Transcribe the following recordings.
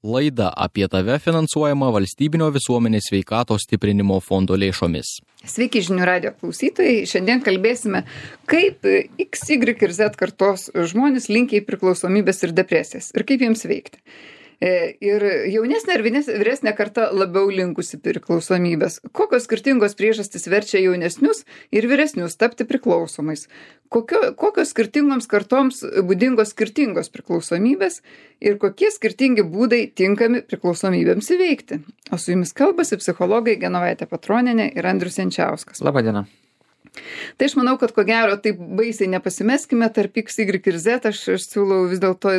Laida apie tave finansuojama Valstybinio visuomenės sveikatos stiprinimo fondo lėšomis. Sveiki žinių radijo klausytojai. Šiandien kalbėsime, kaip X, Y ir Z kartos žmonės linkia į priklausomybės ir depresijas ir kaip jiems veikti. Ir jaunesnė ir vyresnė karta labiau linkusi priklausomybės. Kokios skirtingos priežastys verčia jaunesnius ir vyresnius tapti priklausomais? Kokios skirtingoms kartoms būdingos skirtingos priklausomybės ir kokie skirtingi būdai tinkami priklausomybėms įveikti? O su jumis kalbasi psichologai Genovaitė Petronienė ir Andrius Jančiauskas. Labą dieną. Tai aš manau, kad ko gero taip baisiai nepasimeskime tarp X, Y ir Z. Aš siūlau vis dėlto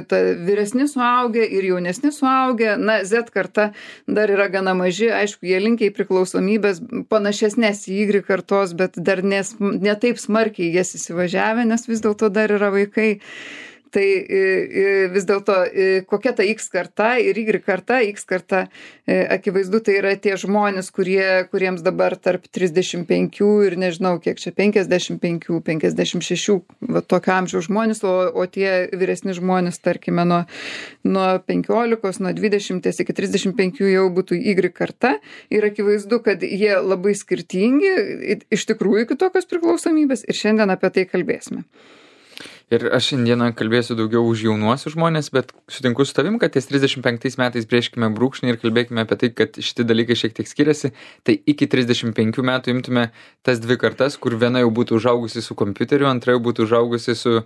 vyresni suaugę ir jaunesni suaugę. Na, Z karta dar yra gana maži. Aišku, jie linkia į priklausomybės panašesnės į Y kartos, bet dar ne taip smarkiai jas įsivažiavę, nes vis dėlto dar yra vaikai. Tai vis dėlto kokia ta X karta ir Y karta. X karta, akivaizdu, tai yra tie žmonės, kuriems dabar tarp 35 ir nežinau kiek čia, 55, 56, va tokio amžiaus žmonės, o tie vyresni žmonės, tarkime, nuo 15, nuo 20 iki 35 jau būtų Y karta. Ir akivaizdu, kad jie labai skirtingi, iš tikrųjų kitokios priklausomybės ir šiandien apie tai kalbėsime. Ir aš šiandieną kalbėsiu daugiau už jaunuosius žmonės, bet sutinku su tavim, kad ties 35 metais brėžkime brūkšnį ir kalbėkime apie tai, kad šitie dalykai šiek tiek skiriasi. Tai iki 35 metų imtume tas dvi kartas, kur viena jau būtų užaugusi su kompiuteriu, antra jau būtų užaugusi su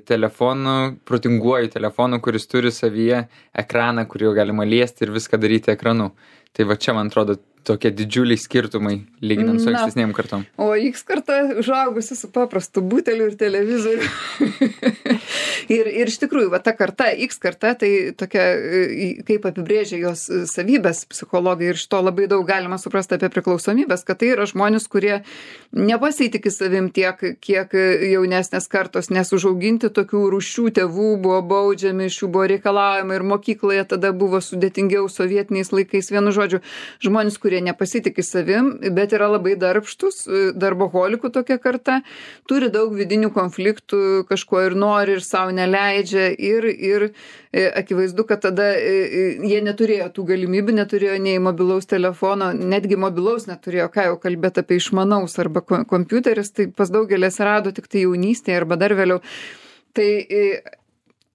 telefonu, protinguoju telefonu, kuris turi savyje ekraną, kurį galima liesti ir viską daryti ekranu. Tai va čia, man atrodo, tokie didžiuliai skirtumai, lyginant su ankstesnėm kartom. O X karta užaugusi su paprastu buteliu ir televizoriu. ir iš tikrųjų, va ta karta, X karta, tai tokia, kaip apibrėžia jos savybės psichologai, ir iš to labai daug galima suprasti apie priklausomybės, kad tai yra žmonės, kurie nepasitikė savim tiek, kiek jaunesnės kartos, nes užauginti tokių rūšių tėvų buvo baudžiami, iš jų buvo reikalaujama ir mokykloje tada buvo sudėtingiau sovietiniais laikais. Vienu žodžiu, žmonės, kurie nepasitikė savim, bet yra labai darbštus, darboholikų tokia karta, turi daug vidinių konfliktų, kažko ir nori, ir savo neleidžia, ir akivaizdu, kad tada jie neturėjo tų galimybių, neturėjo nei mobilaus telefono, netgi mobilaus neturėjo, ką jau kalbėti apie išmanaus arba kompiuteris, tai pas daugelį atsirado tik tai jaunystėje arba dar vėliau. Tai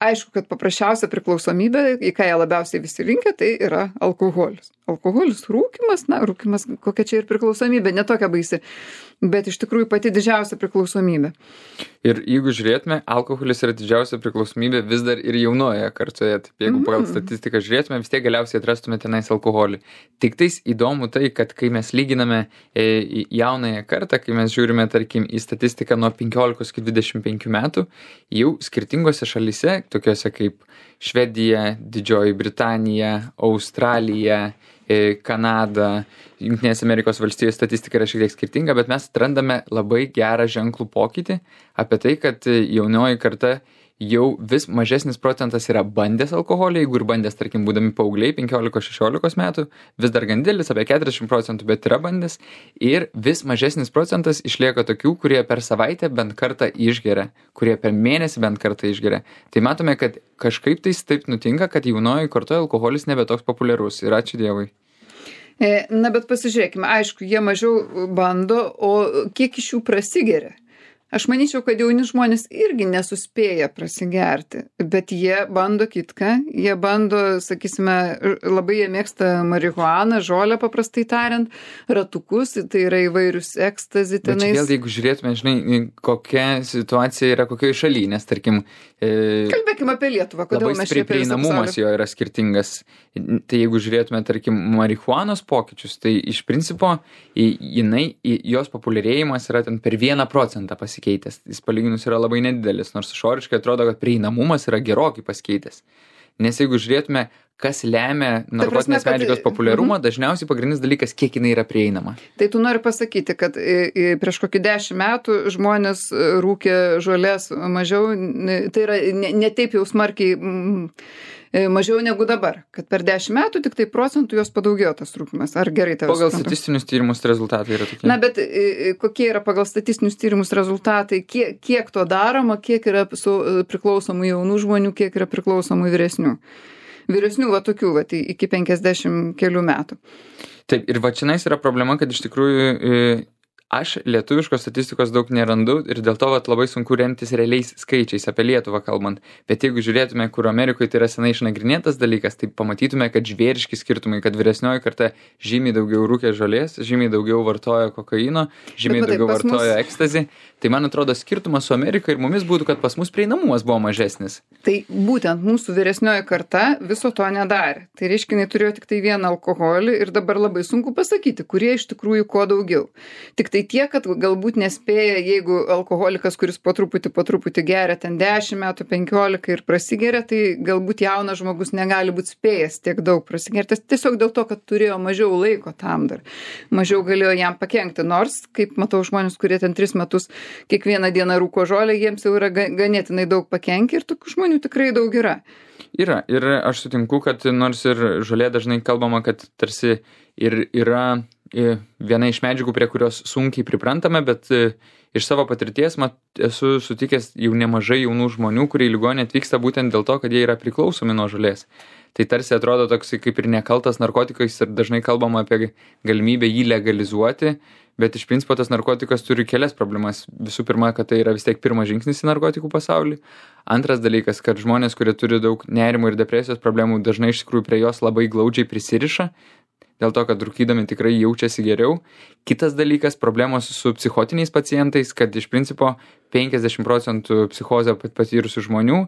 aišku, kad paprasčiausia priklausomybė, į ką jie labiausiai visi linkia, tai yra alkoholis. Alkoholis, rūkymas, kokia čia ir priklausomybė, ne tokia baisi, bet iš tikrųjų pati didžiausia priklausomybė. Ir jeigu žiūrėtume, alkoholis yra didžiausia priklausomybė vis dar ir jaunoje kartoje. Taip, jeigu pagal statistiką žiūrėtume, vis tiek galiausiai atrastume tenais alkoholį. Tik tais įdomu tai, kad kai mes lyginame jaunąją kartą, kai mes žiūrime, tarkim, į statistiką nuo 15 iki 25 metų, jau skirtingose šalyse, tokiuose kaip Švedija, Didžioji Britanija, Australija, Kanada, Jungtinės Amerikos valstijos statistika yra šiek tiek skirtinga, bet mes atrandame labai gerą ženklų pokytį apie tai, kad jaunioji karta jau vis mažesnis procentas yra bandęs alkoholį, jeigu ir bandęs, tarkim, būdami paaugliai 15-16 metų, vis dar gan didelis, apie 40%, bet yra bandęs, ir vis mažesnis procentas išlieka tokių, kurie per savaitę bent kartą išgeria, kurie per mėnesį bent kartą išgeria. Tai matome, kad kažkaip tai taip nutinka, kad jaunoji kartoje alkoholis nebe toks populiarus, ir ačiū Dievui. Na, bet pasižiūrėkime, aišku, jie mažiau bando, o kiek iš jų prasigeria? Aš manyčiau, kad jauni žmonės irgi nesuspėja prasigerti, bet jie bando kitką, jie bando, sakysime, labai jie mėgsta marihuaną, žolę paprastai tariant, ratukus, tai yra įvairius ekstazi tenais. Bet vėl, jeigu žiūrėtume, žinai, kokia situacija yra kokioje šalyje, nes, tarkim, kalbėkime apie Lietuvą, kodėl mes čia apie visą prieinamumas jo yra skirtingas. Tai jeigu žiūrėtume, tarkim, marihuanos pokyčius, tai iš principo jos populiarėjimas yra ten per 1% pasikeitęs. Jis palyginus yra labai nedidelis, nors išoriškai atrodo, kad prieinamumas yra gerokai pasikeitęs. Nes jeigu žiūrėtume, kas lemia narkotinės medžiagos populiarumą, dažniausiai pagrindinis dalykas, kiek jinai yra prieinama. Tai tu nori pasakyti, kad prieš kokį 10 metų žmonės rūkė žolės mažiau, tai yra ne taip jau smarkiai mažiau negu dabar, kad per 10 metų tik tai procentų jos padaugėjo tas rūkymas. Ar gerai tavęs? Pagal statistinius tyrimus rezultatai yra tokie. Na, bet kokie yra pagal statistinius tyrimus rezultatai, kiek to daroma, kiek yra priklausomų jaunų žmonių, kiek yra priklausomų vyresnių? Vyresnių va tokių, va, iki 50 kelių metų. Taip, ir va čionais yra problema, kad iš tikrųjų aš lietuviškos statistikos daug nerandu ir dėl to vat labai sunku remtis realiais skaičiais apie Lietuvą kalbant. Bet jeigu žiūrėtume, kur Amerikoje tai yra senai išnagrinėtas dalykas, tai pamatytume, kad žvėriški skirtumai, kad vyresnioji karta žymiai daugiau rūkė žolės, žymiai daugiau vartoja kokaino, žymiai daugiau vartoja ekstazį. Tai man atrodo skirtumas su Amerika ir mumis būtų, kad pas mus prieinamumas buvo mažesnis. Tai būtent mūsų vyresnioji karta viso to nedarė. Tai reiškia, jinai turėjo tik tai vieną alkoholį ir dabar labai sunku pasakyti, kurie iš tikrųjų kuo daugiau. Tik tai tiek, kad galbūt nespėja, jeigu alkoholikas, kuris po truputį geria ten 10 metų, 15 ir prasigeria, tai galbūt jaunas žmogus negali būti spėjęs tiek daug prasigerti. Tiesiog dėl to, kad turėjo mažiau laiko tam dar. Mažiau galėjo jam pakenkti. Nors, kaip matau žmonės, kurie ten 3 metus kiekvieną dieną rūko žolę, jiems jau yra ganėtinai daug pakenkia ir tokių žmonių tikrai daug yra. Yra. Ir aš sutinku, kad nors ir žolė dažnai kalbama, kad tarsi ir yra viena iš medžiagų, prie kurios sunkiai priprantame, bet iš savo patirties esu sutikęs jau nemažai jaunų žmonių, kurie į ligoninę atvyksta būtent dėl to, kad jie yra priklausomi nuo žolės. Tai tarsi atrodo toks kaip ir nekaltas narkotikais ir dažnai kalbama apie galimybę jį legalizuoti, bet iš principo tas narkotikas turi kelias problemas. Visų pirma, kad tai yra vis tiek pirmas žingsnis į narkotikų pasaulį. Antras dalykas, kad žmonės, kurie turi daug nerimo ir depresijos problemų, dažnai iš tikrųjų prie jos labai glaudžiai prisiriša, dėl to, kad rūkydami tikrai jaučiasi geriau. Kitas dalykas, problemos su psichotiniais pacientais, kad iš principo 50% psichozę patyrusių žmonių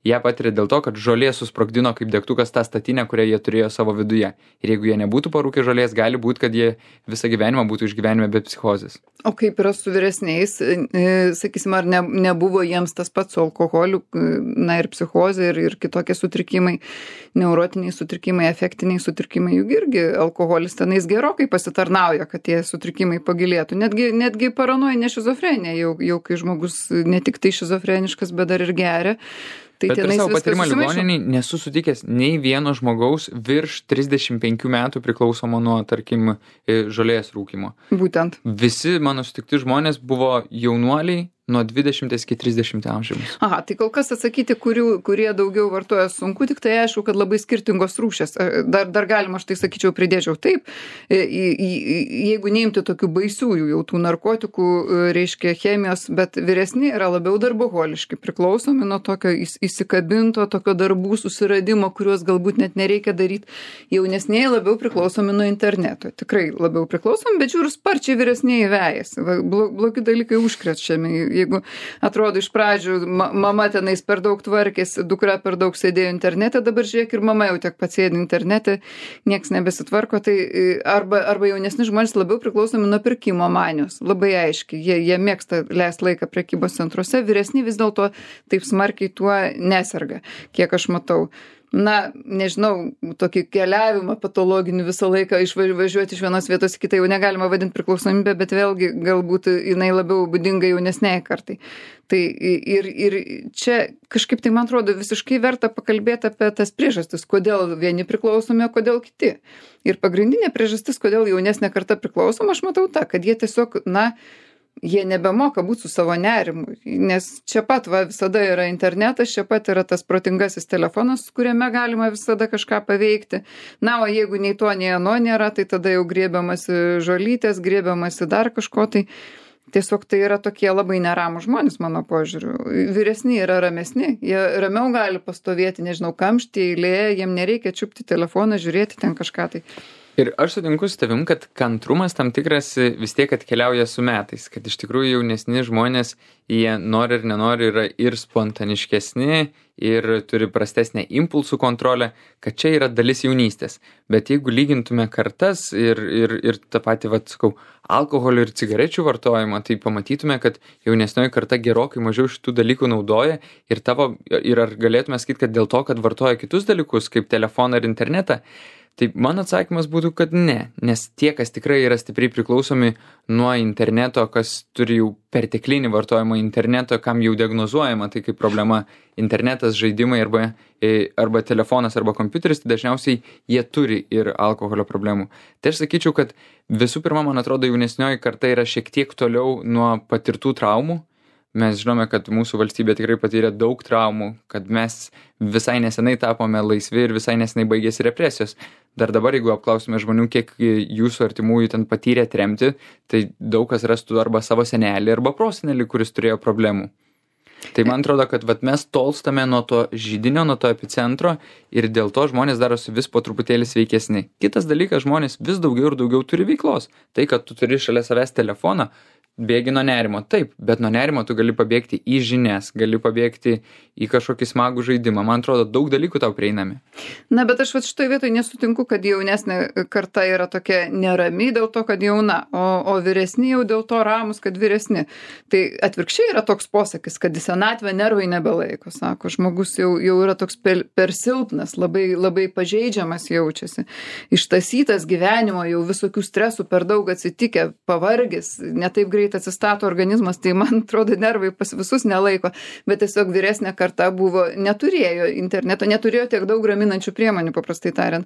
ją patiria dėl to, kad žolė susprogdino kaip degtukas tą statinę, kurią jie turėjo savo viduje. Ir jeigu jie nebūtų parūkę žolės, gali būti, kad jie visą gyvenimą būtų išgyvenime be psichozės. O kaip yra su vyresniais, sakysim, ar nebuvo jiems tas pats su alkoholiu, na ir psichozė ir kitokie sutrikimai, neurotiniai sutrikimai, afektiniai sutrikimai, juk irgi alkoholis tenais gerokai pasitarnauja, kad tie sutrikimai pagilėtų. Netgi paranojinė šizofrenija, jau kai žmogus ne tik tai šizofreniškas, bet dar ir geria. Tai bet per savo patyrimą ligoninėj nesu sutikęs nei vieno žmogaus virš 35 metų priklausomo nuo, tarkim, žolės rūkymo. Būtent. Visi mano sutikti žmonės buvo jaunuoliai nuo 20 iki 30 amžiaus. Aha, tai kol kas atsakyti, kurie daugiau vartoja sunku, tik tai aišku, kad labai skirtingos rūšės. Dar galima, aš tai sakyčiau, pridėčiau taip, jeigu neimti tokių baisiųjų jau tų narkotikų, reiškia chemijos, bet vyresni yra labiau darboholiški, priklausomi nuo tokio įsikabinto, tokio darbų susiradimo, kuriuos galbūt net nereikia daryti. Jaunesniai labiau priklausomi nuo interneto. Tikrai labiau priklausomi, bet žiūrų sparčiai vyresniai vejasi. Blogi dalykai užkrečiami. Jeigu atrodo iš pradžių mama tenais per daug tvarkėsi, dukra per daug sėdėjo internete, dabar žiūrėk ir mama jau tiek pats sėdi internete, nieks nebesitvarko, tai arba jaunesni žmonės labiau priklausomi nuo pirkimo manijos. Labai aiškiai, jie mėgsta leisti laiką prekybos centruose, vyresni vis dėlto taip smarkiai tuo neserga, kiek aš matau. Na, nežinau, tokį keliavimą patologinį visą laiką išvažiuoti iš vienos vietos į kitą jau negalima vadinti priklausomybę, bet vėlgi galbūt jinai labiau būdinga jaunesniai kartai. Tai ir čia kažkaip tai man atrodo visiškai verta pakalbėti apie tas priežastis, kodėl vieni priklausomi, o kodėl kiti. Ir pagrindinė priežastis, kodėl jaunesnė karta priklausoma, aš matau tą, kad jie tiesiog, jie nebemoka būti su savo nerimu, nes čia pat visada yra internetas, čia pat yra tas protingasis telefonas, kuriame galima visada kažką paveikti. Na, o jeigu nei to, nei ano nėra, tai tada jau griebiamasi žolytės, griebiamasi dar kažko, tai tiesiog tai yra tokie labai neramūs žmonės, mano požiūriu. Vyresni yra ramesni, jie ramiau gali pastovėti, nežinau, kamštyje, eilėje, jiem nereikia čiupti telefoną, žiūrėti ten kažką tai. Ir aš sutinku su tavim, kad kantrumas tam tikras vis tiek atkeliauja su metais, kad iš tikrųjų jaunesni žmonės, jie nori ir nenori yra ir spontaniškesni, ir turi prastesnę impulsų kontrolę, kad čia yra dalis jaunystės. Bet jeigu lygintume kartas ir tą patį, alkoholio ir cigarečių vartojimą, tai pamatytume, kad jaunesnioji karta gerokai mažiau šitų dalykų naudoja ir ar galėtume sakyti, kad dėl to, kad vartoja kitus dalykus, kaip telefoną ir internetą, tai mano atsakymas būtų, kad ne, nes tie, kas tikrai yra stipriai priklausomi nuo interneto, kas turi jau perteklinį vartojimą interneto, kam jau diagnozuojama tai kaip problema internetas, žaidimai arba telefonas arba kompiuteris, tai dažniausiai jie turi ir alkoholio problemų. Tai aš sakyčiau, kad visų pirma, man atrodo, jaunesnioji karta yra šiek tiek toliau nuo patirtų traumų, Mes žinome, kad mūsų valstybė tikrai patyrė daug traumų, kad mes visai nesenai tapome laisvi ir visai nesenai baigėsi represijos. Dar dabar, jeigu apklausime žmonių, kiek jūsų artimųjų ten patyrė tremtį, tai daug kas rastų arba savo senelį, arba prosenelį, kuris turėjo problemų. Tai man atrodo, kad mes tolstame nuo to židinio, nuo to epicentro ir dėl to žmonės darosi vis po truputėlį sveikesni. Kitas dalykas, žmonės vis daugiau ir daugiau turi veiklos. Tai, kad tu turi šalia savęs telefoną, bėgi nuo nerimo. Taip, bet nuo nerimo tu gali pabėgti į žinias, gali pabėgti į kažkokį smagų žaidimą. Man atrodo, daug dalykų tau prieinami. Na, bet aš šitoj vietoj nesutinku, kad jaunesnė karta yra tokia nerami dėl to, kad jauna, o vyresni jau dėl to ramus, kad vyresni. Tai atvirkščiai yra toks posakis, kad į senatvę nervai nebelaiko, sako. Žmogus jau yra toks per silpnas, labai, labai pažeidžiamas jaučiasi. Ištasytas gyvenimo, jau visokių stresų per daug atsitikę, pavargęs, netaip greit atsistato organizmas, tai man atrodo nervai pas visus nelaiko, bet tiesiog vyresnė karta neturėjo interneto, neturėjo tiek daug raminančių priemonių, paprastai tariant.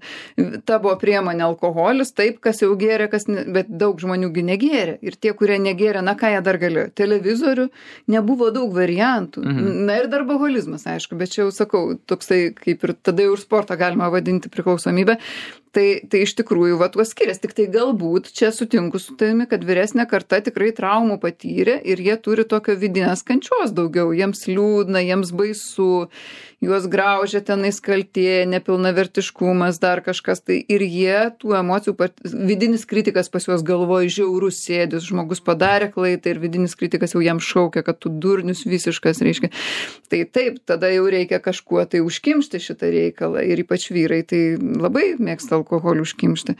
Ta buvo priemonė alkoholis, taip, kas jau gėrė, bet daug žmoniųgi negėrė. Ir tie, kurie negėrė, na ką jie dar galėjo? Televizorių, nebuvo daug variantų. Na ir darboholizmas, aišku, bet čia jau sakau, toksai kaip ir tada jau ir sportą galima vadinti priklausomybę. Tai iš tikrųjų tuo skiriasi. Tik tai galbūt čia sutinku su tavimi, kad vyresnė karta tikrai traumų patyrė ir jie turi tokio vidinės kančios daugiau. Jiems liūdna, jiems baisu, juos graužia tenais kaltė, nepilnavertiškumas, dar kažkas. Tai ir jie tų emocijų, vidinis kritikas pas juos galvoja žiaurus sėdis, žmogus padarė klaidą ir vidinis kritikas jau jam šaukia, kad tu durnius visiškas, reiškia. Tai taip, tada jau reikia kažkuo tai užkimšti šitą reikalą ir ypač vyrai tai labai mėgsta alkoholį užkimšti.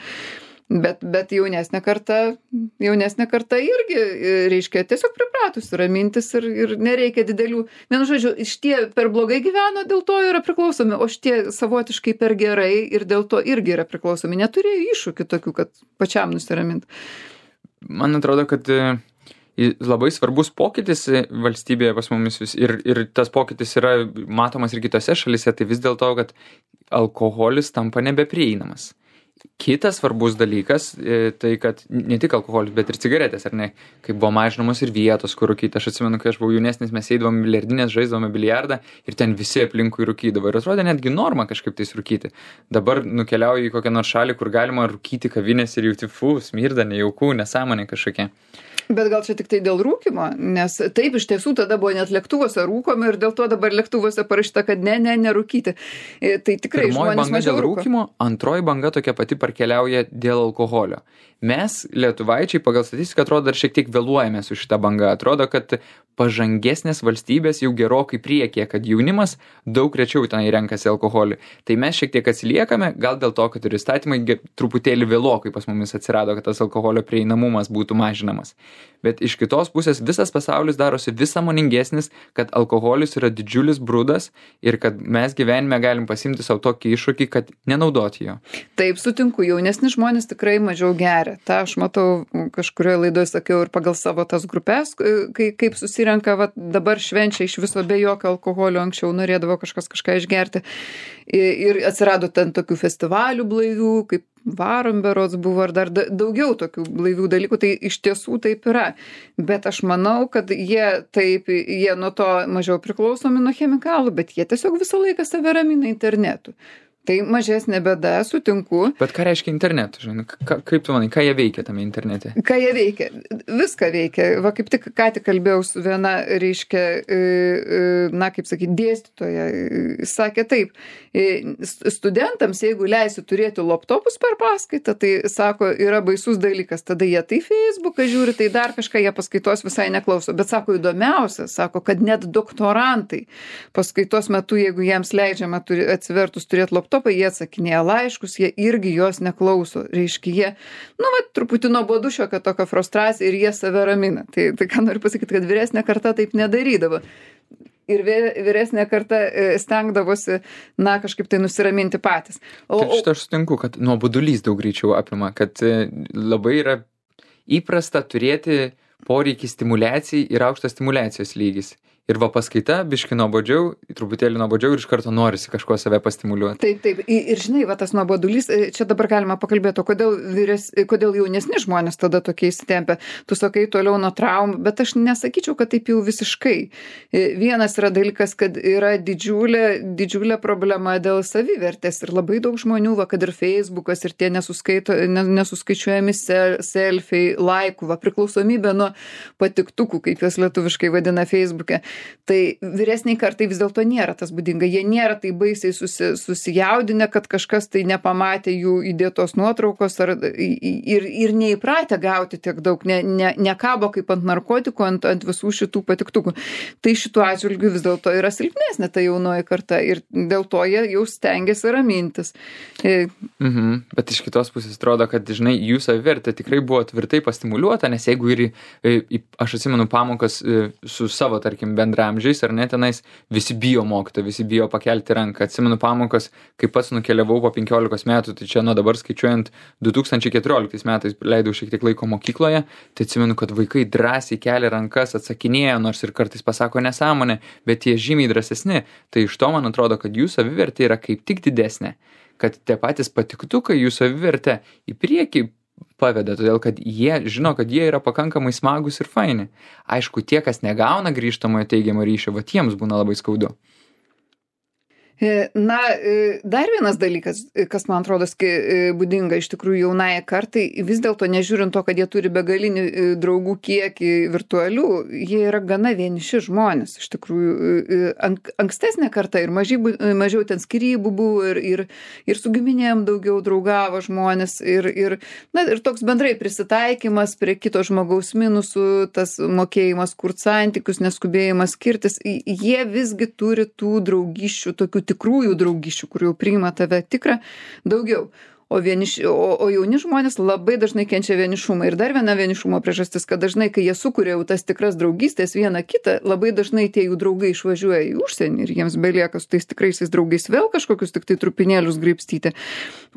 Bet jaunesnė karta irgi, reiškia, tiesiog pripratusi ramintis ir nereikia didelių. Vienu žodžiu, šitie per blogai gyveno, dėl to yra priklausomi, o šitie savotiškai per gerai ir dėl to irgi yra priklausomi. Neturėjo iššūkių tokių, kad pačiam nusiraminti. Man atrodo, kad labai svarbus pokytis valstybėje pas mumis ir tas pokytis yra matomas ir kitose šalyse, tai vis dėlto, kad alkoholis tampa nebeprieinamas. Kitas svarbus dalykas, tai kad ne tik alkoholis, bet ir cigaretės, ar ne, kai buvo mažinamos ir vietos, kur rūkyti. Aš atsimenu, kai aš buvau jaunesnis, mes eidavom biliardinės, žaisdavome biliardą ir ten visi aplinkui rūkydavo. Ir atrodė netgi norma kažkaip tais rūkyti. Dabar nukeliauju į kokią nors šalį, kur galima rūkyti kavinės ir jauti smirda, nejaukų, nesąmonė kažkokia. Bet gal čia tik tai dėl rūkymo, nes taip iš tiesų tada buvo net lėktuvuose rūkomi ir dėl to dabar lėktuvuose parašyta, kad nerūkyti. Tai tikrai žmonės mažiau dėl rūkymo, antroji banga tokia pati parkeliauja dėl alkoholio. Mes, lietuvaičiai, pagal statistiką atrodo dar šiek tiek vėluojame su šita banga. Atrodo, kad pažangesnės valstybės jau gerokai priekyje, kad jaunimas daug rečiau ten renkasi alkoholį. Tai mes šiek tiek atsiliekame, gal dėl to, kad ir įstatymai truputėlį vėlokai pas mumis atsirado, kad tas alkoholio prieinamumas būtų mažinamas. Bet iš kitos pusės visas pasaulis darosi vis sąmoningesnis, kad alkoholis yra didžiulis brudas ir kad mes gyvenime galim pasimti savo tokį iššūkį, kad nenaudoti jo. Taip, sutinku, jaunesni žmonės tikrai mažiau geria. Ta aš matau, kažkurioje laidoje sakiau ir pagal savo tas grupės, kaip susirenka, dabar švenčia iš viso be jokio alkoholio, anksčiau norėdavo kažką išgerti. Ir atsirado ten tokių festivalių blaivių, kaip Varom berods buvo, ar dar daugiau tokių blaivių dalykų, tai iš tiesų taip yra. Bet aš manau, kad jie nuo to mažiau priklausomi nuo chemikalų, bet jie tiesiog visą laiką save ramina internetu. Tai mažesnė bėda, sutinku. Bet ką reiškia internetu? Žinai, kaip tu manai, ką jie veikia tame internete? Ką jie veikia? Viską veikia. Va kaip tik ką tik kalbėjau su viena, reiškia, kaip sakyti, dėstytoja. Sakė taip, studentams, jeigu leisi turėti laptopus per paskaitą, tai, sako, yra baisus dalykas. Tada jie tai Facebooką žiūri, tai dar kažką jie paskaitos visai neklauso. Bet, sako, įdomiausia, sako, kad net doktorantai paskaitos metu, jeigu jiems leidžiama atsivertus turėti laptopą, jie atsakinėja laiškus, jie irgi jos neklauso. Reiškia, jie, truputį nuobodu šiokia tokia frustracija ir jie save ramina. Tai ką noriu pasakyti, kad vyresnė karta taip nedarydavo. Ir vyresnė karta stengdavosi, kažkaip tai nusiraminti patys. Šitą aš sutinku, kad nuobodulys daug greičiau apima, kad labai yra įprasta turėti poreikį stimuliacijai ir aukštas stimuliacijos lygis. ir va paskaita, biški nuobodžiau, truputėlį nuobodžiau ir iš karto norisi kažko save pastimuliuoti. Taip. Ir žinai, va tas nuobodulys, čia dabar galima pakalbėti, o kodėl jaunesni žmonės tada tokie įsitempia. Tu sakai toliau nuo traumų, bet aš nesakyčiau, kad taip jau visiškai. Vienas yra dalykas, kad yra didžiulė problema dėl savivertės ir labai daug žmonių, va, kad ir Facebookas ir tie nesuskaičiuojami selfiai, laikų, va, priklausomybė nuo patiktukų, kaip juos lietuviškai vadina Facebook'e. Tai vyresniai kartai vis dėlto nėra tas būdinga. Jie nėra tai baisiai susijaudinę, kad kažkas tai nepamatė jų įdėtos nuotraukos ir neįpratę gauti tiek daug, nekabo kaip ant narkotikų, ant visų šitų patiktukų. Tai šituo atžvilgiu vis dėlto yra silpnesnė ta jaunoji karta ir dėl to jie jau stengiasi ramintis. Bet iš kitos pusės atrodo, kad žinai, jų savivertė tikrai buvo tvirtai pastimuliuota, nes jeigu aš atsimenu pamokas su savo, tarkim, bendramžiais, ar ne, tenais visi bijo mokytojų, visi bijo pakelti ranką. Atsimenu pamokas, kai pats nukeliavau po 15 metų, tai čia nuo dabar skaičiuojant 2014 metais leidau šiek tiek laiko mokykloje, tai atsimenu, kad vaikai drąsiai kelia rankas, atsakinėja, nors ir kartais pasako nesąmonę, bet jie žymiai drąsesni. Tai iš to man atrodo, kad jų savivertė yra kaip tik didesnė, kad tie patys patiktukai jų savivertę į priekį paveda, todėl kad jie žino, kad jie yra pakankamai smagus ir faini. Aišku, tie, kas negauna grįžtamojo teigiamo ryšio, va tiems būna labai skaudu. Na, dar vienas dalykas, kas man atrodo būdinga iš tikrųjų jaunai kartai, vis dėlto nežiūrint to, kad jie turi begalinį draugų kiekį virtualių, jie yra gana vieniši žmonės. Iš tikrųjų, ankstesnė karta ir mažiau ten skyrybų buvo ir su giminėm daugiau draugavo žmonės ir toks bendrai prisitaikymas prie kito žmogaus minusų, tas mokėjimas kurt santykius, neskubėjimas skirtis, jie visgi turi tų draugiščių, tokių tikrųjų draugiščių, kur jau priima tave tikrą, daugiau. O jauni žmonės labai dažnai kenčia vienišumą. Ir dar viena vienišumo priežastis, kad dažnai, kai jie sukuria jau tas tikras draugystės vieną kitą, labai dažnai tie jų draugai išvažiuoja į užsienį ir jiems belieka su tais tikraisiais draugais vėl kažkokius tik tai trupinėlius graibstyti.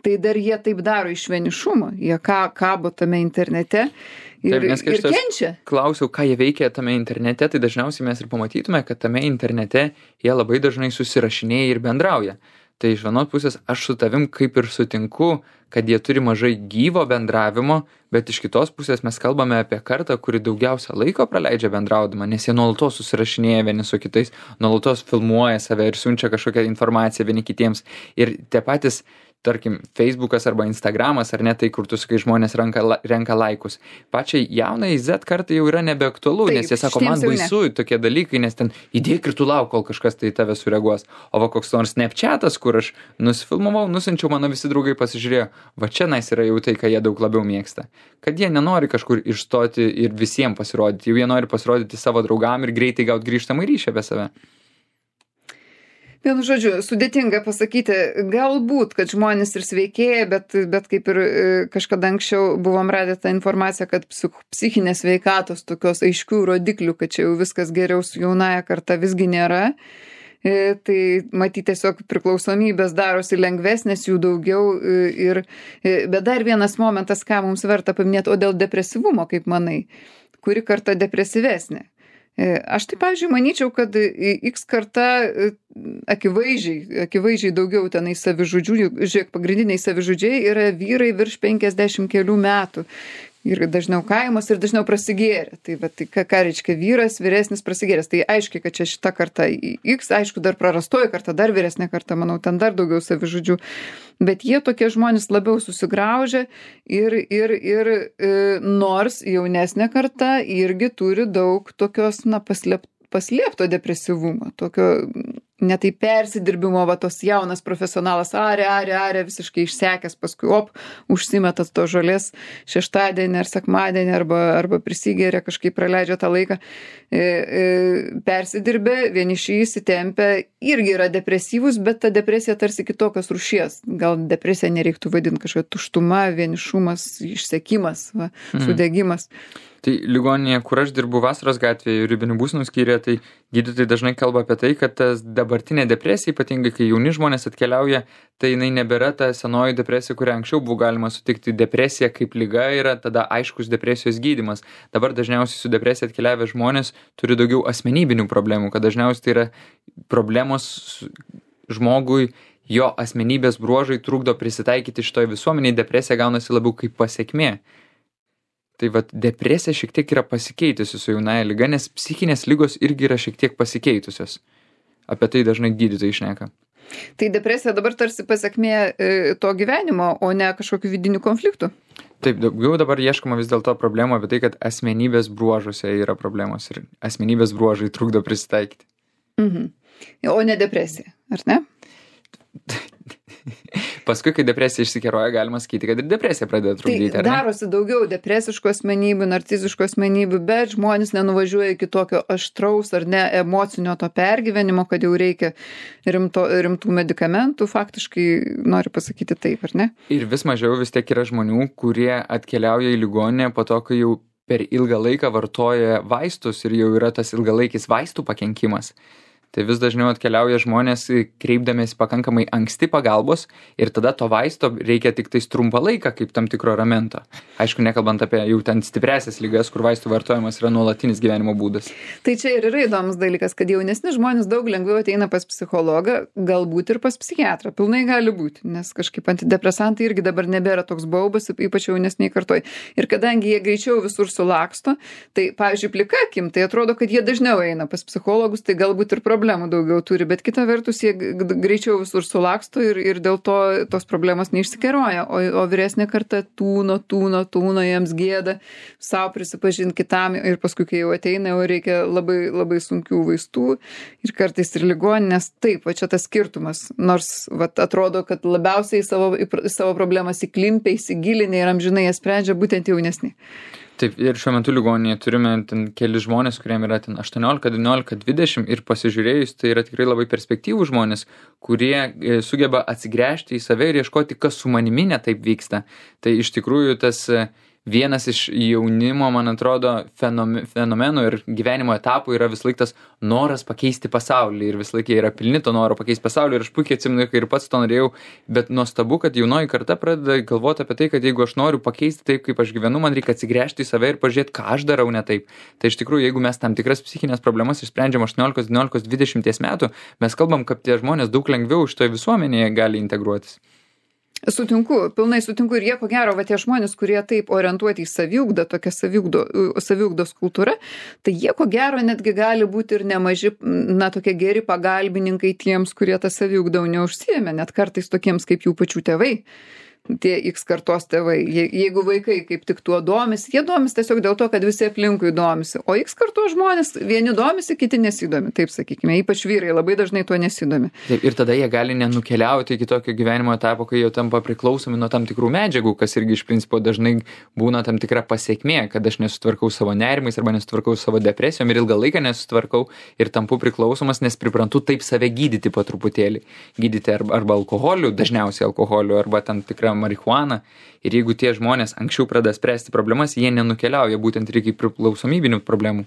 Tai dar jie taip daro iš vienišumo. Jie kabo tame internete. Ir kenčia. Klausiau, ką jie veikia tame internete, tai dažniausiai mes ir pamatytume, kad tame internete jie labai dažnai susirašinėja ir bendrauja. Tai iš vienos pusės aš su tavim kaip ir sutinku, kad jie turi mažai gyvo bendravimo, bet iš kitos pusės mes kalbame apie kartą, kuri daugiausia laiko praleidžia bendraudama, nes jie nuolatos susirašinėja vieni su kitais, nuolatos filmuoja save ir siunčia kažkokią informaciją vieni kitiems. Ir tie patys, tarkim, Facebookas arba Instagramas, ar ne, tai kur tu sakai, žmonės renka laikus. Pačiai jaunai Z kartai jau yra nebeaktualu, nes jie sako, man baisu tokie dalykai, nes ten įdėk ir tu lauk, kol kažkas tai tave sureaguos. O va koks nors Snapchatas, kur aš nusifilmavau, nusinčiau, mano visi draugai pasižiūrėjo, va čia nais yra jau tai, ką jie daug labiau mėgsta. Kad jie nenori kažkur išstoti ir visiems pasirodyti, jau jie nori pasirodyti savo draugam ir greitai gauti grįžtamą ryšį apie save. Vienu žodžiu, sudėtinga pasakyti, galbūt, kad žmonės ir sveikėja, bet kaip ir kažkada anksčiau buvom radę tą informaciją, kad psichinės sveikatos tokios aiškių rodiklių, kad čia jau viskas geriau su jaunaja karta visgi nėra. Tai matyti tiesiog priklausomybės darosi lengvesnės, jų daugiau. Bet dar vienas momentas, ką mums verta paminėti, o dėl depresyvumo, kaip manai, kuri karta depresyvesnė? Aš tai, pavyzdžiui, manyčiau, kad X karta akivaizdžiai daugiau tenai savižudžių, žiūrėk, pagrindiniai savižudžiai yra vyrai virš 50 kelių metų. Ir dažniau kaimas ir dažniau prasigėrė. Tai ką reiškia vyras, vyresnis prasigėręs. Tai aiškiai, kad čia šita karta X, aišku, dar prarastoji karta, dar vyresnė karta, manau, ten dar daugiau savižudžių. Bet jie tokie žmonės labiau susigraužia ir nors jaunesnė karta irgi turi daug tokios, paslėpto depresyvumo, tokio netai persidirbimo, va tos jaunas profesionalas aria, visiškai išsekęs, paskui užsimetas to žolės šeštadienį ar sekmadienį arba prisigėrė, kažkaip praleidžia tą laiką, persidirbė, vieniši įsitempę, irgi yra depresyvus, bet ta depresija tarsi kitokios rūšies. Gal depresija nereiktų vadinti kažkokia tuštuma, vienišumas, išsekimas, sudegimas. Tai ligoninėje, kur aš dirbu Vasaros gatvėje, ribinių būsenų skyriuje, tai gydytojai dažnai kalba apie tai, kad tas dabartinė depresija, ypatingai kai jauni žmonės atkeliauja, tai jinai nebėra ta senoji depresija, kurią anksčiau buvo galima sutikti. Depresija kaip liga yra tada aiškus depresijos gydymas. Dabar dažniausiai su depresija atkeliavę žmonės turi daugiau asmenybinių problemų, kad dažniausiai tai yra problemos žmogui, jo asmenybės bruožai trukdo prisitaikyti šitoj visuomeniai, depresija gaunasi labiau kaip pasekmė. Tai vat depresija šiek tiek yra pasikeitusi su jaunaja liga, nes psichinės ligos irgi yra šiek tiek pasikeitusios. Apie tai dažnai gydytojai šneka. Tai depresija dabar tarsi pasekmė to gyvenimo, o ne kažkokių vidinių konfliktų. Taip, daugiau dabar ieškoma vis dėlto problemų apie tai, kad asmenybės bruožuose yra problemos ir asmenybės bruožai trukdo prisitaikyti. O ne depresija, ar ne? Paskui, kai depresija išsikeroja, galima sakyti, kad ir depresija pradeda trukdyti, tai ar ne? Darosi daugiau depresiškų asmenybių, narciziškų asmenybių, bet žmonės nenuvažiuoja iki tokio aštraus ar ne emocinio to pergyvenimo, kad jau reikia rimtų medikamentų, faktiškai noriu pasakyti taip, ar ne? Ir vis mažiau vis tiek yra žmonių, kurie atkeliauja į ligoninę po to, kai jau per ilgą laiką vartoja vaistus ir jau yra tas ilgalaikis vaistų pakenkimas. Tai vis dažniau atkeliauja žmonės kreipdamiesi pakankamai anksti pagalbos ir tada to vaisto reikia tik tais trumpą laiką kaip tam tikro ramento. Aišku, nekalbant apie jau ten stipresias ligas, kur vaistų vartojimas yra nuolatinis gyvenimo būdas. Tai čia ir yra įdomus dalykas, kad jaunesni žmonės daug lengviau ateina pas psichologą, galbūt ir pas psichiatrą. Pilnai gali būti, nes kažkaip antidepresantai irgi dabar nebėra toks baubas, ypač jaunesniai kartoj. Ir kadangi jie greičiau visur sulaksto, tai, pavyzdžiui, plika akim, tai atrodo, kad jie dažniau eina pas psichologus, tai galbūt ir problemų daugiau turi, bet kita vertus jie greičiau visur sulaksto ir dėl to tos problemos neišsikeroja, o vyresnė karta tūno, jiems gėda, savo prisipažinti kitam ir paskui, kai jau ateina, jau reikia labai, labai sunkių vaistų ir kartais ir ligoninės. Taip, va čia tas skirtumas, nors va, atrodo, kad labiausiai savo problemas įklimpia, įsigilinę ir amžinai jas sprendžia būtent jaunesni. Taip, ir šiuo metu ligoninėje turime ten keli žmonės, kuriem yra ten 18, 19, 20 ir pasižiūrėjus, tai yra tikrai labai perspektyvų žmonės, kurie sugeba atsigręžti į save ir ieškoti, kas su manimi ne taip vyksta. Tai iš tikrųjų tas vienas iš jaunimo, man atrodo, fenomenų ir gyvenimo etapų yra vis laik tas noras pakeisti pasaulį ir vis laik jie yra pilni to noro pakeisti pasaulį ir aš puikiai atsimenu, kai ir pats to norėjau, bet nuostabu, kad jaunoji karta pradeda galvoti apie tai, kad jeigu aš noriu pakeisti taip, kaip aš gyvenu, man reikia atsigręžti į save ir pažiūrėti, ką aš darau ne taip. Tai iš tikrųjų, jeigu mes tam tikras psichinės problemas išsprendžiam 18, 19, 20 metų, mes kalbam, kad tie žmonės daug lengviau šitoje visuomenėje gali integruotis. Sutinku, pilnai sutinku ir jie, ko gero, va tie žmonės, kurie taip orientuoti į saviugdą, tokia saviugdos kultūra, tai jie, ko gero, netgi gali būti ir nemaži, na, tokie geri pagalbininkai tiems, kurie tą saviugdą neužsiėmė, net kartais tokiems kaip jų pačių tėvai. Tie X kartos tėvai, jeigu vaikai kaip tik tuo domisi, jie domisi tiesiog dėl to, kad visi aplinkui domisi, o X kartos žmonės vieni domisi, kiti nesidomi, taip sakykime, ypač vyrai labai dažnai tuo nesidomi. Taip, ir tada jie gali nenukeliauti iki tokio gyvenimo etapo, kai jau tampa priklausomi nuo tam tikrų medžiagų, kas irgi iš principo dažnai būna tam tikra pasekmė, kad aš nesutvarkau savo nerimais arba nesutvarkau savo depresijom ir ilgą laiką nesutvarkau ir tampu priklausomas, nes priprantu taip save gydyti po truputėlį. Gydyti arba alkoholiu, dažniausiai alkoholiu, arba tam tikrą marihuaną. Ir jeigu tie žmonės anksčiau pradeda spręsti problemas, jie nenukeliauja būtent ir iki priklausomybinių problemų.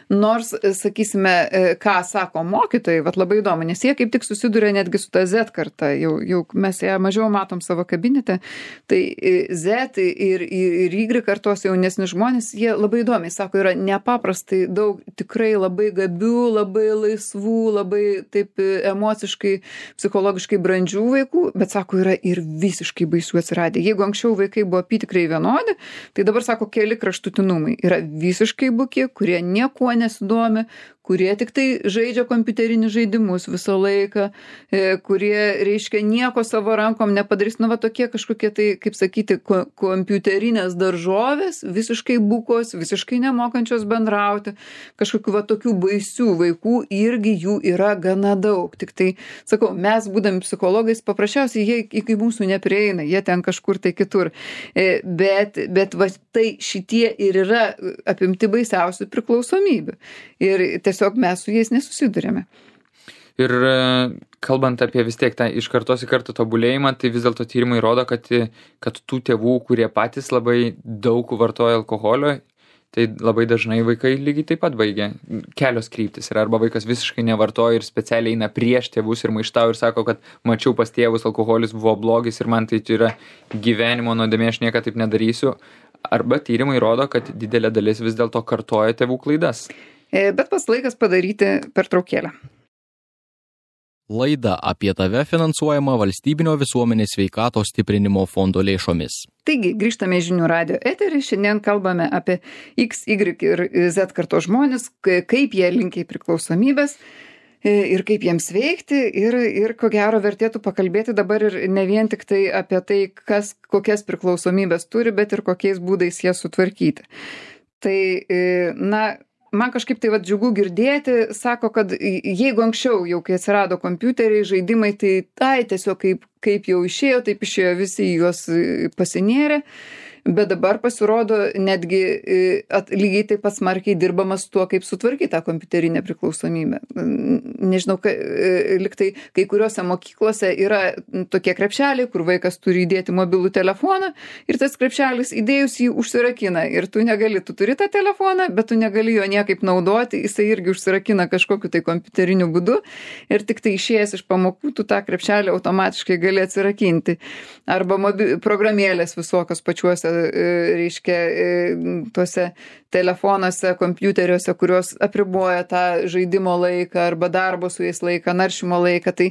Nors, sakysime, ką sako mokytojai, vat labai įdomu, nes jie kaip tik susiduria netgi su ta Z karta, jau mes ją mažiau matom savo kabinete, tai Z ir Y kartos jaunesni žmonės, jie labai įdomiai sako, yra nepaprastai daug tikrai labai gabių, labai laisvų, labai taip emociškai, psichologiškai brandžių vaikų, bet sako, yra ir visiškai baisių atsiradę. Jeigu anksčiau vaikai buvo apytikrai vienodi, tai dabar sako, keli kraštutinumai. Yra visiškai buki, kurie niekuo nesidomi, kurie tik tai žaidžia kompiuterinius žaidimus visą laiką, kurie, reiškia, nieko savo rankom nepadarys. Nu, va tokie kažkokie tai, kaip sakyti, kompiuterinės daržovės, visiškai bukos, visiškai nemokančios bendrauti. Kažkokių va tokių baisių vaikų irgi jų yra gana daug. Tik tai, sakau, mes būdami psichologais, paprasčiausiai jie iki mūsų neprieina, jie ten kažkur tai kitur. Bet va tai šitie ir yra apimti baisiausių priklausomybių. Ir tiesiog mes su jais nesusidurėme. Ir kalbant apie vis tiek tą iš kartos į kartą tobulėjimą, tai vis dėlto tyrimai rodo, kad tų tėvų, kurie patys labai daug vartoja alkoholio, Tai labai dažnai vaikai lygiai taip pat baigia. Kelios kryptis yra, arba vaikas visiškai nevartoja ir specialiai eina prieš tėvus ir maištauja ir sako, kad mačiau pas tėvus, alkoholis buvo blogis ir man tai yra gyvenimo nuodėmė, aš niekada taip nedarysiu. Arba tyrimai rodo, kad didelė dalis vis dėlto kartoja tėvų klaidas. Bet pats laikas padaryti pertraukėlę. Laida apie tave finansuojama Valstybinio visuomenės sveikatos stiprinimo fondo lėšomis. Taigi, grįžtame į Žinių radijo eterį. Šiandien kalbame apie X, Y ir Z kartos žmonės, kaip jie linkia į priklausomybės ir kaip jiems veikti. Ir ko gero vertėtų pakalbėti dabar ir ne vien tik tai apie tai, kokias priklausomybės turi, bet ir kokiais būdais jas sutvarkyti. Tai, man kažkaip tai džiugu girdėti, sako, kad jeigu anksčiau, jau kai atsirado kompiuteriai, žaidimai, tai tiesiog kaip jau išėjo, taip išėjo visi juos pasinėrė, bet dabar pasirodo netgi lygiai taip pat smarkiai dirbamas tuo, kaip sutvarkyti tą kompiuterinę priklausomybę. Nežinau, liktai kai kuriuose mokyklose yra tokie krepšeliai, kur vaikas turi įdėti mobilų telefoną ir tas krepšelis įdėjus jį užsirakina ir tu turi tą telefoną, bet tu negali jo niekaip naudoti, jisai irgi užsirakina kažkokiu tai kompiuteriniu būdu ir tik tai išėjęs iš pamokų tu tą krepšelį automatiškai gali atsirakinti. Arba programėlės visokios pačiuose reiškia tuose telefonuose, kompiuteriuose, kurios apriboja tą žaidimo laiką arba darbo su jais laiką, naršymo laiką. Tai,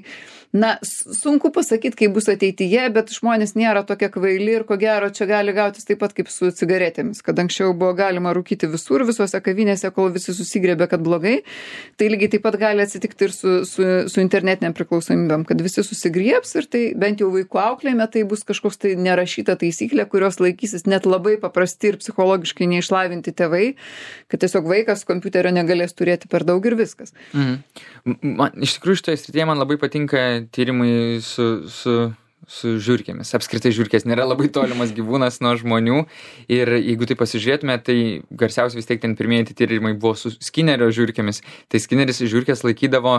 sunku pasakyti, kaip bus ateityje, bet žmonės nėra tokie kvaili ir ko gero čia gali gautis taip pat kaip su cigaretėmis, kad anksčiau buvo galima rūkyti visur, visose kavinėse, kol visi susigrėbė, kad blogai. Tai lygiai taip pat gali atsitikti ir su internetiniam priklausomybėm, kad visi susigriebs ir tai bent jau vaikų auklėjime tai bus kažkoks tai nerašyta taisyklė, kurios laikysis net labai paprasti ir psichologiškai neišlavinti tėvai, kad tiesiog vaikas kompiuterio negalės turėti per daug ir viskas. Iš tikrųjų, šitoje srityje man labai patinka tyrimai su žiurkėmis. Apskritai žiurkės nėra labai tolimas gyvūnas nuo žmonių ir jeigu tai pasižiūrėtume, tai garsiausiai vis tiek ten pirmieji tyrimai buvo su Skinnerio žiurkėmis. Tai Skinneris žiurkės laikydavo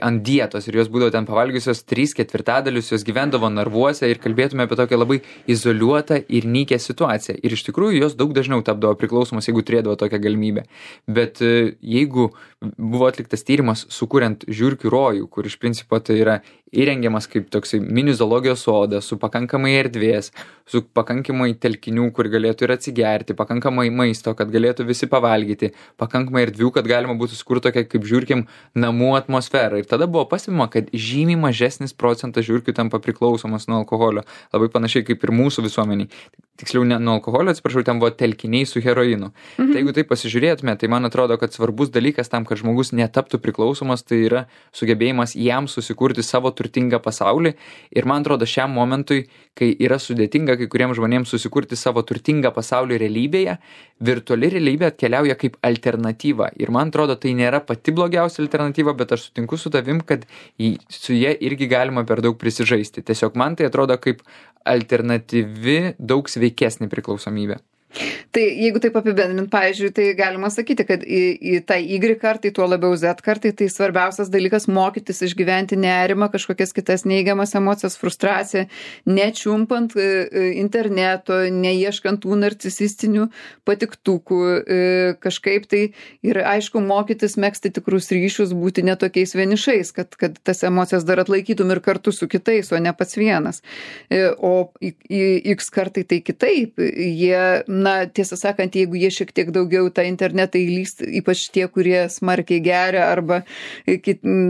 ant dietos ir jos būdavo ten pavalgiusios 3/4, jos gyvendavo narvuose ir kalbėtume apie tokią labai izoliuotą ir nykią situaciją. Ir iš tikrųjų jos daug dažniau tapdavo priklausomos, jeigu turėdavo tokią galimybę. Bet jeigu buvo atliktas tyrimas sukuriant žiurkių rojų, kur iš principo tai yra įrengiamas kaip toksai mini zoologijos sodas, su pakankamai erdvės, su pakankamai telkinių, kur galėtų ir atsigerti, pakankamai maisto, kad galėtų visi pavalgyti, pakankamai erdvių, kad galima būtų sukurti tokią kaip žiurkėm namų atmosferą. Ir tada buvo pastebima, kad žymiai mažesnis procentas žiurkių tampa priklausomas nuo alkoholio. Labai panašiai kaip ir mūsų visuomeniai. Tiksliau, ne nuo alkoholio, atsiprašau, ten buvo telkiniai su heroinu. Tai jeigu tai pasižiūrėtume, tai man atrodo, kad svarbus dalykas tam, kad žmogus netaptų priklausomas, tai yra sugebėjimas jam susikurti savo turtingą pasaulį. Ir man atrodo, šiam momentui, kai yra sudėtinga kai kuriems žmonėms susikurti savo turtingą pasaulį realybėje, virtuali realybė atkeliauja kaip alternatyva. Ir man atrodo, tai nėra pati blogiausia alternatyva, bet aš sutinku su tavim, kad su jie irgi galima per daug prisižaisti. Tiesiog man tai atrodo kaip alternatyvi, daug sveikesnė priklausomybė. Tai jeigu taip apibendrint, pavyzdžiui, tai galima sakyti, kad į tą Y kartai, tuo labiau Z kartai, tai svarbiausias dalykas mokytis išgyventi nerimą, kažkokias kitas neigiamas emocijas, frustraciją, nečiumpant interneto, neieškant tų narcisistinių patiktukų, kažkaip tai ir aišku mokytis megzti tikrus ryšius, būti netokiais vienišais, kad tas emocijas dar atlaikytum ir kartu su kitais, o ne pats vienas. O į X kartai tai kitaip, jie tiesą sakant, jeigu jie šiek tiek daugiau tą internetą įlyst, ypač tie, kurie smarkiai geria arba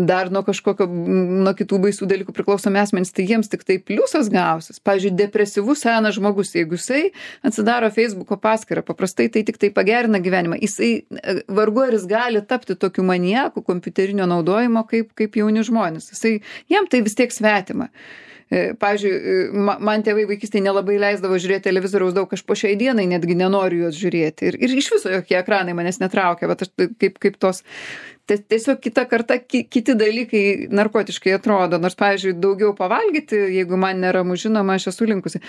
dar nuo kitų baisių dalykų priklausomi asmenys, tai jiems tik tai pliusas gausis. Pavyzdžiui, depresyvus senas žmogus, jeigu jisai atsidaro Facebooko paskyrą, paprastai tai tik tai pagerina gyvenimą. Jisai vargu ar jis gali tapti tokiu maniaku kompiuterinio naudojimo kaip jauni žmonės. Jam tai vis tiek svetima. Pavyzdžiui, man tėvai vaikystėje nelabai leisdavo žiūrėti televizoriaus daug, aš po šiai dienai netgi nenoriu juos žiūrėti. Ir iš viso jokie ekranai manęs netraukia, bet aš kaip tos Tiesiog kita karta, kiti dalykai narkotiškai atrodo, nors, pavyzdžiui, daugiau pavalgyti, jeigu man neramu žinoma, aš esu linkusi.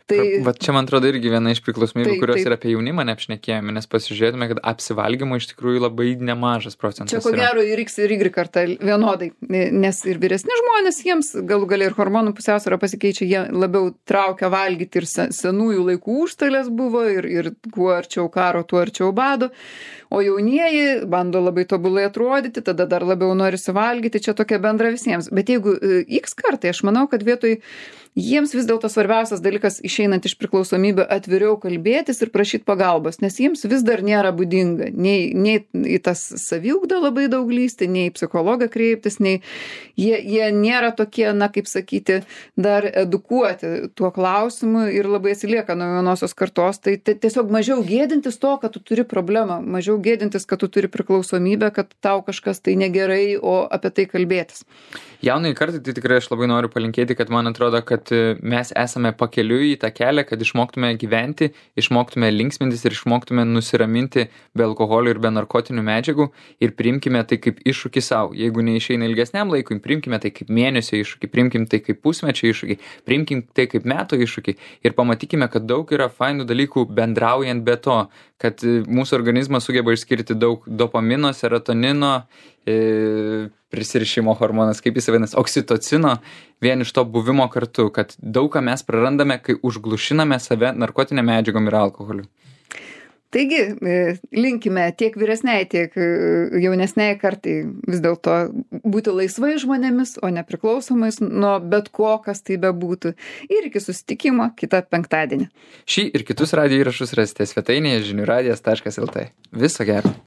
Tai... Va čia, man atrodo, irgi viena iš priklausomybių, kurios ir apie jaunimą neapšnekėjome, nes pasižiūrėtume, kad apsivalgymo iš tikrųjų labai nemažas procentas. Čia ko gero ir X ir Y karta vienodai, nes ir vyresni žmonės, jiems galų galia ir hormonų pusiausvyrą pasikeičia, jie labiau traukia valgyti ir senųjų laikų užstalės buvo ir kuo arčiau karo, tuo arčiau bado. O jaunieji bando labai tobulai atrodyti, tada dar labiau nori suvalgyti, čia tokia bendra visiems. Bet jeigu X kartai, aš manau, kad vietoj jiems vis dėlto svarbiausias dalykas išeinant iš priklausomybių atviriau kalbėtis ir prašyti pagalbos, nes jiems vis dar nėra būdinga nei į tas saviugdą labai daug lysti, nei į psichologą kreiptis, nei jie nėra tokie, na kaip sakyti, dar edukuoti tuo klausimu ir labai atsilieka nuo jaunosios kartos. Tai tiesiog mažiau gėdintis to, kad tu turi problemą, mažiau gėdintis, kad tu turi priklausomybę, kad tau kažkas tai negerai, o apie tai kalbėtis. Jaunai kartai tai tikrai aš labai noriu palinkėti, kad man atrodo, kad mes esame pakeliui į tą kelią, kad išmoktume gyventi, išmoktume linksmintis ir išmoktume nusiraminti be alkoholio ir be narkotinių medžiagų ir priimkime tai kaip iššūkį savo. Jeigu neišeina ilgesniam laikui, priimkime tai kaip mėnesio iššūkį, priimkime tai kaip pusmečio iššūkį, priimkime tai kaip metų iššūkį ir pamatykime, kad daug yra fainų dalykų bendraujant be to, kad mūsų organizmas sugeba išskirti daug dopamino, serotonino, prisirišimo hormonas, kaip jis vadinasi, oksitocino, vien iš to buvimo kartu, kad daug ką mes prarandame, kai užglušiname save narkotinėm medžiagom ir alkoholiu. Taigi, linkime tiek vyresniai, tiek jaunesniai kartai vis dėlto būti laisvai žmonėmis, o nepriklausomais nuo bet ko, kas tai bebūtų. Ir iki susitikimo kitą penktadienį. Šį ir kitus radijo įrašus rasite svetainėje žiniųradijas.lt. Viso gero.